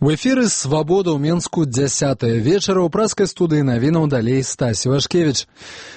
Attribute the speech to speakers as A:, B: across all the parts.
A: У эфіры «Свабода» ў Менску 10-е вечара ў праскай студыі навінаў далей Стась Івашкевіч.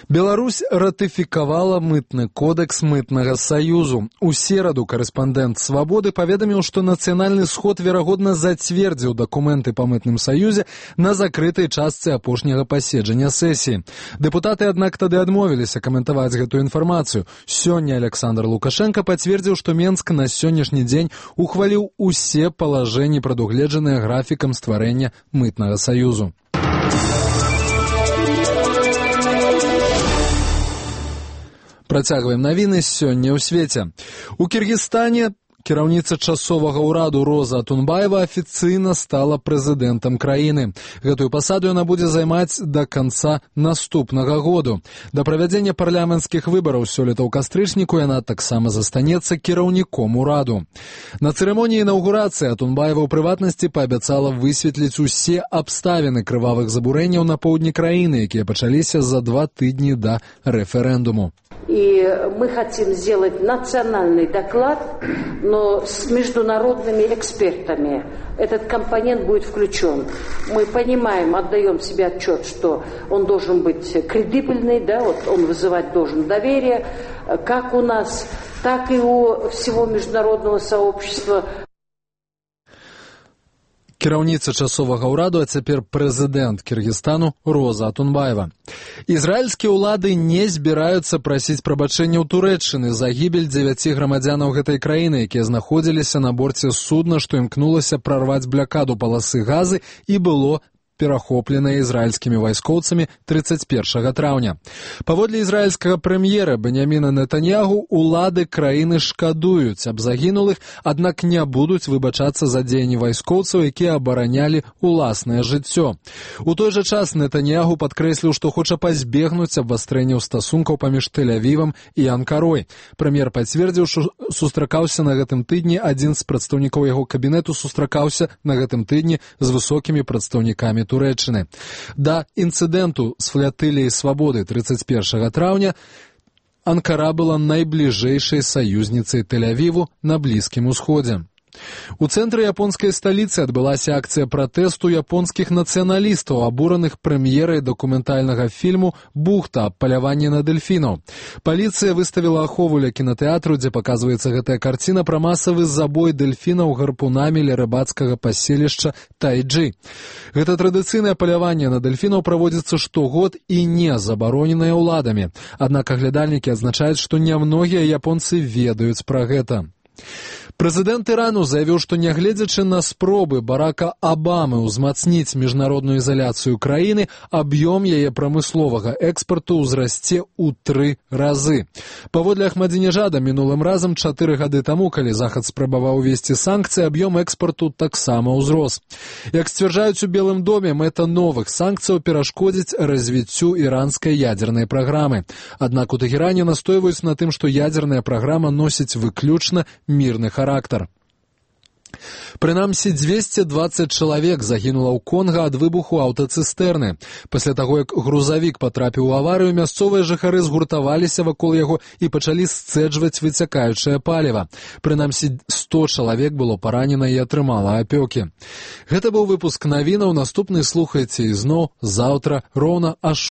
A: Беларусь ратыфікавала мытны кодекс мытнага саюзу. У сераду карэспандэнт «Свабоды» паведаміў, што нацыянальны сход верагодна зацвердзіў дакументы па мытным саюзе на закрытай частцы апошняга паседжання сесіі. Дэпутаты, аднак, тады адмовіліся каментаваць гэтую інфармацыю. Сёння Александр Лукашенко пацвердзіў, што Менск на сённяшні дзень ухваліў усе палажэнні, прадугледжаныя графікам стварэння мытнага саюзу. Працягваем навіны сёння ў свеце. У Кіргізстане кіраўніца часовага ўраду Роза Атунбаева афіцыйна стала прэзідэнтам краіны. Гэтую пасаду яна будзе займаць да канца наступнага году. Да правядзення парламенцкіх выбараў сёлета ў кастрычніку яна таксама застанецца кіраўніком ураду. На цырымоніі інаўгурацыі Атунбаева ў прыватнасці паабяцала высветліць усе абставіны крывавых забурэнняў на поўдні краіны, якія пачаліся за 2 тыдні да рэферэндуму.
B: И мы хотим сделать национальный доклад, но с международными экспертами. Этот компонент будет включен. Мы понимаем, отдаем себе отчет, что он должен быть кредибельный, да, вот он вызывать должен доверие, как у нас, так и у всего международного сообщества.
A: Кіраўніца часовага ўраду, а цяпер прэзідэнт Кіргізстану Роза Атунбаева. Ізраільскія ўлады не збіраюцца прасіць прабачэння ў Турэччыны за гібель 9 грамадзянаў гэтай краіны, якія знаходзіліся на борце судна, што імкнулася прарваць блякаду паласы газы і было перахопленая ізраільскімі вайскоўцамі 31 траўня. Паводле ізраільскага прэм'ера Беньяміна Нетаньягу, улады краіны шкадуюць аб загінулых, аднак не будуць выбачацца за дзеянні вайскоўцаў, якія абаранялі уласнае жыццё. У той жа час Нетаньягу падкрэсліў, што хоча пазбегнуць абвастрэнняў стасункаў паміж Тель-Авівам і Анкарой. Прэм'ер пацвердзіў, што сустракаўся на гэтым тыдні, адзін з прадстаўнікоў яго кабінету сустракаўся на гэтым тыдні з высокімі прадстаўнікамі Турэччыны. Да інцыдэнту з флатыліяй свабоды 31 траўня Анкара была найбліжэйшай саюзніцай Тель-Авіву на Блізкім Усходзе. У цэнтры японскай сталіцы адбылася акцыя пратэсту японскіх нацыяналістаў, абураных прэм'ерай дакументальнага фільму «Бухта» аб паляванні на дэльфінаў. Паліцыя выставіла ахову ля кінатэатру, дзе паказваецца гэтая карціна пра масавы забой дэльфінаў гарпунамі ля рыбацкага паселішча Тайджы. Гэта традыцыйнае паляванне на дэльфінаў праводзіцца штогод і не забароненае ўладамі. Аднак аглядальнікі адзначаюць, што нямногія японцы ведаюць пра гэта. Прэзідэнт Ірану заявіў, што нягледзячы на спробы Барака Абамы ўзмацніць міжнародную ізаляцыю краіны, аб'ём яе прамысловага экспарту ўзрасце ў 3 разы. Паводле Ахмадзінежада, мінулым разам 4 гады таму, калі Захад спрабаваў увесці санкцыі, аб'ём экспарту таксама ўзрос. Як сцвярджаюць у Белым доме, мэта новых санкцыяў перашкодзіць развіццю іранскай ядзернай праграмы. Аднак у Тэхеране настойваюць на тым, што ядзерная праграма носіць выключна мірны характар. Прынамсі, 220 чалавек загінула ў Конга ад выбуху аўтацыстэрны. Пасля таго, як грузавік патрапіў у аварыю, мясцовыя жыхары згуртаваліся вакол яго і пачалі сцэджваць выцякаючае паліва. Прынамсі, 100 чалавек было паранена і атрымала апёкі. Гэта быў выпуск навінаў. Наступны слухайце ізноў заўтра роўна о